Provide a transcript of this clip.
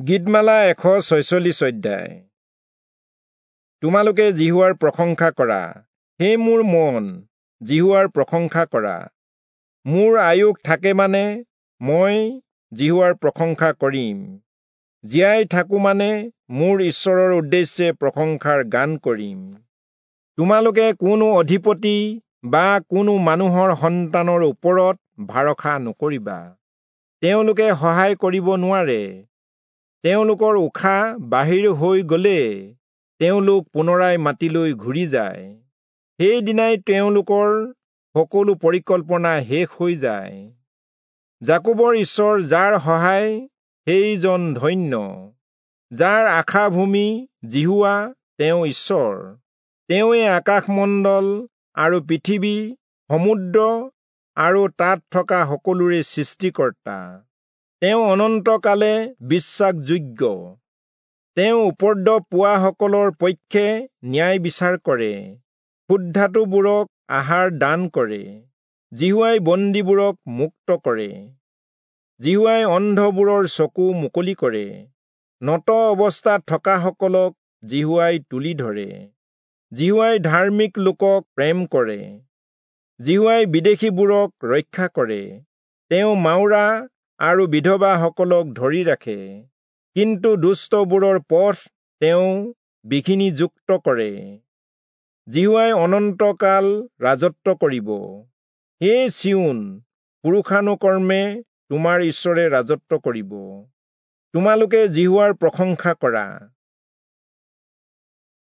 গীতমালা 146 অধ্যায়। তোমালোকে যিহোৱাৰ প্ৰশংসা কৰা, হে মোৰ মন, যিহোৱাৰ প্ৰশংসা কৰা। মোৰ আয়ুস থাকে মানে মই যিহোৱাৰ প্ৰশংসা কৰিম, জীয়াই থাকো মানে মোৰ ঈশ্বৰৰ উদ্দেশ্যে প্ৰশংসাৰ গান কৰিম। তোমালোকে কোনো অধিপতি বা কোনো মানুহৰ সন্তানৰ ওপৰত ভৰসা নকৰিবা, তেওঁলোকে সহায় কৰিব নোৱাৰে। তেওঁলোকৰ উশাহ বাহিৰ হৈ গ'লে তেওঁলোক পুনৰাই মাটিলৈ ঘূৰি যায়, সেইদিনাই তেওঁলোকৰ সকলো পৰিকল্পনা শেষ হৈ যায়। যাকোবৰ ঈশ্বৰ যাৰ সহায়, সেইজন ধন্য। যাৰ আশাভূমি যিহোৱা, তেওঁ ঈশ্বৰ। তেওঁৱে আকাশমণ্ডল আৰু পৃথিৱী, সমুদ্ৰ আৰু তাত থকা সকলোৰে সৃষ্টিকৰ্তা। তেওঁ অনন্তকালে বিশ্বাসযোগ্য। তেওঁ উপদ্ৰৱ পোৱাসকলৰ পক্ষে ন্যায় বিচাৰ কৰে, ক্ষুধাৰ্তবোৰক আহাৰ দান কৰে। যিহোৱাই বন্দীবোৰক মুক্ত কৰে, যিহোৱাই অন্ধবোৰৰ চকু মুকলি কৰে, নত অৱস্থাত থকাসকলক যিহোৱাই তুলি ধৰে। যিহোৱাই ধাৰ্মিক লোকক প্ৰেম কৰে, যিহোৱাই বিদেশীবোৰক ৰক্ষা কৰে। তেওঁ মাউৰা আৰু বিধৱাসকলক ধৰি ৰাখে, কিন্তু দুষ্টবোৰৰ পথ তেওঁ বিঘিনিযুক্ত কৰে। যিহোৱাই অনন্তকাল ৰাজত্ব কৰিব। হে চিয়োন, পুৰুষানুকৰ্মে তোমাৰ ঈশ্বৰে ৰাজত্ব কৰিব। তোমালোকে যিহোৱাৰ প্ৰশংসা কৰা।